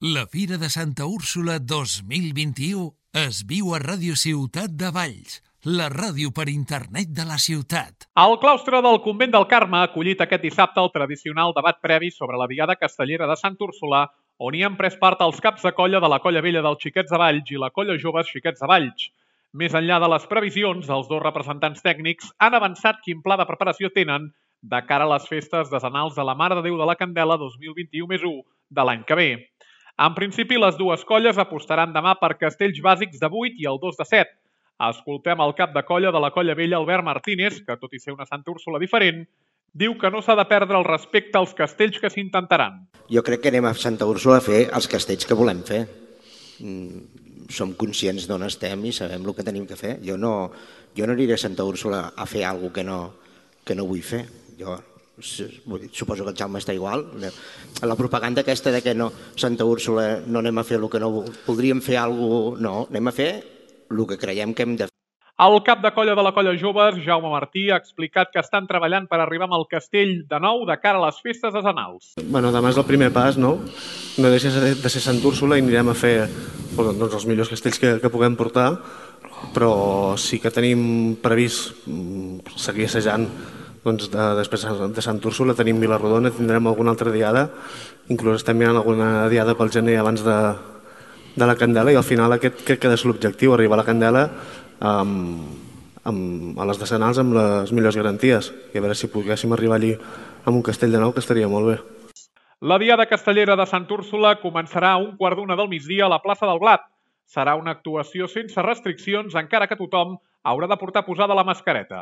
La Fira de Santa Úrsula 2021 es viu a Ràdio Ciutat de Valls, la ràdio per internet de la ciutat. El claustre del Convent del Carme ha acollit aquest dissabte el tradicional debat previ sobre la Diada Castellera de Sant Úrsula, on hi han pres part els caps de colla de la Colla Vella dels Xiquets de Valls i la Colla Joves Xiquets de Valls. Més enllà de les previsions, els dos representants tècnics han avançat quin pla de preparació tenen de cara a les festes decenals de la Mare de Déu de la Candela 2021+1 de l'any que ve. En principi, les dues colles apostaran demà per castells bàsics de 8 i el 2 de 7. Escoltem el cap de colla de la Colla Vella, Albert Martínez, que tot i ser una Santa Úrsula diferent, diu que no s'ha de perdre el respecte als castells que s'intentaran. Jo crec que anem a Santa Úrsula a fer els castells que volem fer. Som conscients d'on estem i sabem el que tenim que fer. Jo no aniré a Santa Úrsula a fer alguna cosa que no vull fer. Jo suposo que el Jaume està igual. La propaganda aquesta de que no, Santa Úrsula no anem a fer el que no voldríem fer alguna cosa, no, anem a fer el que creiem que hem de fer. El cap de colla de la Colla Joves, Jaume Martí, ha explicat que estan treballant per arribar amb el castell de nou de cara a les festes decenals. Demà és el primer pas, no? No deixa de ser Sant Úrsula i anirem a fer els millors castells que puguem portar, però sí que tenim previst seguir assajant després de Sant Úrsula, tenim Vilarrodona, tindrem alguna altra diada, inclús estem mirant alguna diada pel gener abans de la Candela, i al final aquest crec que és l'objectiu, arribar a la Candela a les decenals amb les millors garanties, i a veure si poguéssim arribar allí amb un castell de nou, que estaria molt bé. La Diada Castellera de Sant Úrsula començarà a 1:15 del migdia a la plaça del Blat. Serà una actuació sense restriccions, encara que tothom haurà de portar posada la mascareta.